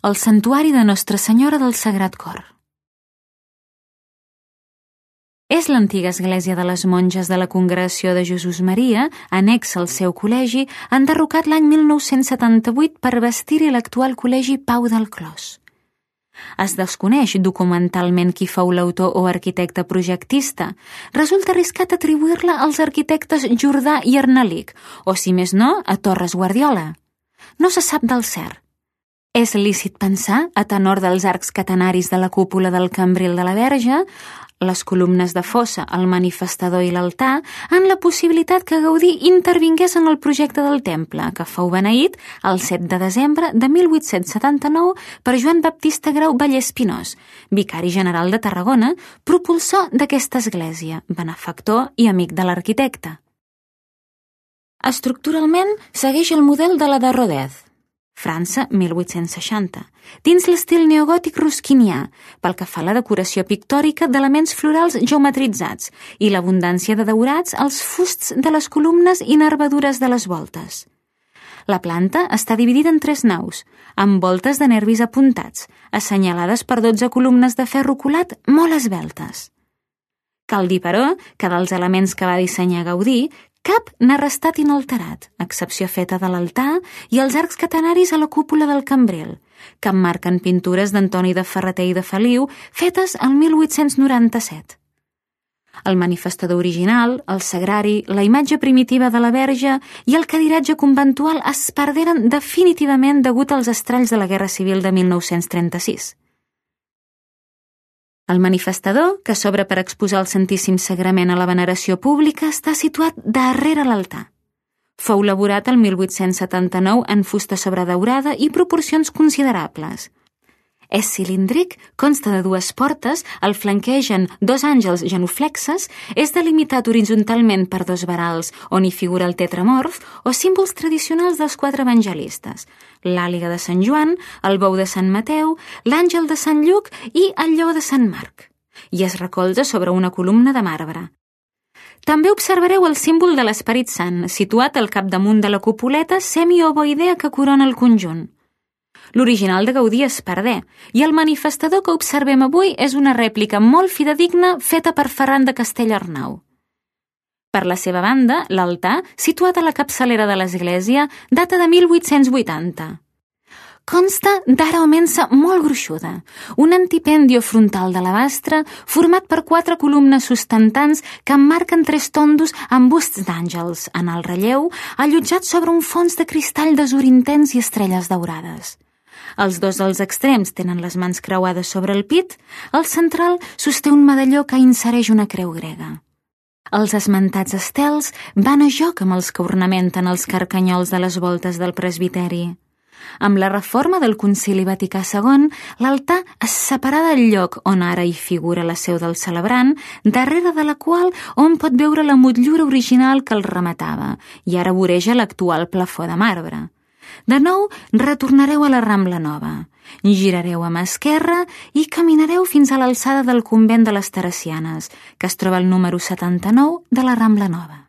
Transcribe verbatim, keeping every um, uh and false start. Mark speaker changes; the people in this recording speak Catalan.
Speaker 1: el santuari de Nostra Senyora del Sagrat Cor. És l'antiga església de les monges de la Congregació de Jesús Maria, annexa al seu col·legi, enderrocat l'any mil nou-cents setanta-vuit per bastir-hi l'actual col·legi Pau del Clos. Es desconeix documentalment qui fou l'autor o arquitecte projectista. Resulta arriscat atribuir-la als arquitectes Jordà i Arnalic, o si més no, a Torres Guardiola. No se sap del cert. És lícit pensar, a tenor dels arcs catenaris de la cúpula del cambril de la Verge, les columnes de fossa, el manifestador i l'altar, en la possibilitat que Gaudí intervingués en el projecte del temple, que fou beneït el set de desembre de mil vuit-cents setanta-nou per Joan Baptista Grau Vallès Pinós, vicari general de Tarragona, propulsor d'aquesta església, benefactor i amic de l'arquitecte. Estructuralment, segueix el model de la de Rodez, França, mil vuit-cents seixanta, dins l'estil neogòtic rusquinià, pel que fa a la decoració pictòrica d'elements florals geometritzats i l'abundància de daurats als fusts de les columnes i nervadures de les voltes. La planta està dividida en tres naus, amb voltes de nervis apuntats, assenyalades per dotze columnes de ferro colat molt esveltes. Cal dir, però, que dels elements que va dissenyar Gaudí, cap n'ha restat inalterat, a excepció feta de l'altar i els arcs catenaris a la cúpula del cambril, que emmarquen pintures d'Antoni de Ferreter i de Feliu fetes el mil vuit-cents noranta-set. El manifestador original, el sagrari, la imatge primitiva de la Verge i el cadiratge conventual es perderen definitivament degut als estralls de la Guerra Civil de mil nou-cents trenta-sis. El manifestador, que s'obre per exposar el Santíssim Sagrament a la veneració pública, està situat darrere l'altar. Fou elaborat el mil vuit-cents setanta-nou en fusta sobredaurada i proporcions considerables. És cilíndric, consta de dues portes, el flanquegen dos àngels genuflexes, és delimitat horitzontalment per dos verals on hi figura el tetramorf o símbols tradicionals dels quatre evangelistes, l'àliga de Sant Joan, el bou de Sant Mateu, l'àngel de Sant Lluc i el lleó de Sant Marc, i es recolza sobre una columna de marbre. També observareu el símbol de l'Esperit Sant, situat al capdamunt de la cupuleta semiovoidea que corona el conjunt. L'original de Gaudí es perdé, i el manifestador que observem avui és una rèplica molt fidedigna feta per Ferran de Castellarnau. Per la seva banda, l'altar, situat a la capçalera de l'església, data de mil vuit-cents vuitanta. Consta d'ara o mensa molt gruixuda, un antipendio frontal d'alabastre format per quatre columnes sustentants que emmarquen tres tondos amb busts d'àngels, en el relleu, allotjats sobre un fons de cristall d'azur intens i estrelles daurades. Els dos dels extrems tenen les mans creuades sobre el pit, el central sosté un medalló que insereix una creu grega. Els esmentats estels van a joc amb els que ornamenten els carcanyols de les voltes del presbiteri. Amb la reforma del Concili Vaticà segon, l'altar es separà del lloc on ara hi figura la seu del celebrant, darrere de la qual hom pot veure la motllura original que el rematava i ara voreja l'actual plafó de marbre. De nou, retornareu a la Rambla Nova, girareu a mà esquerra i caminareu fins a l'alçada del convent de les Teresianes, que es troba al número setanta-nou de la Rambla Nova.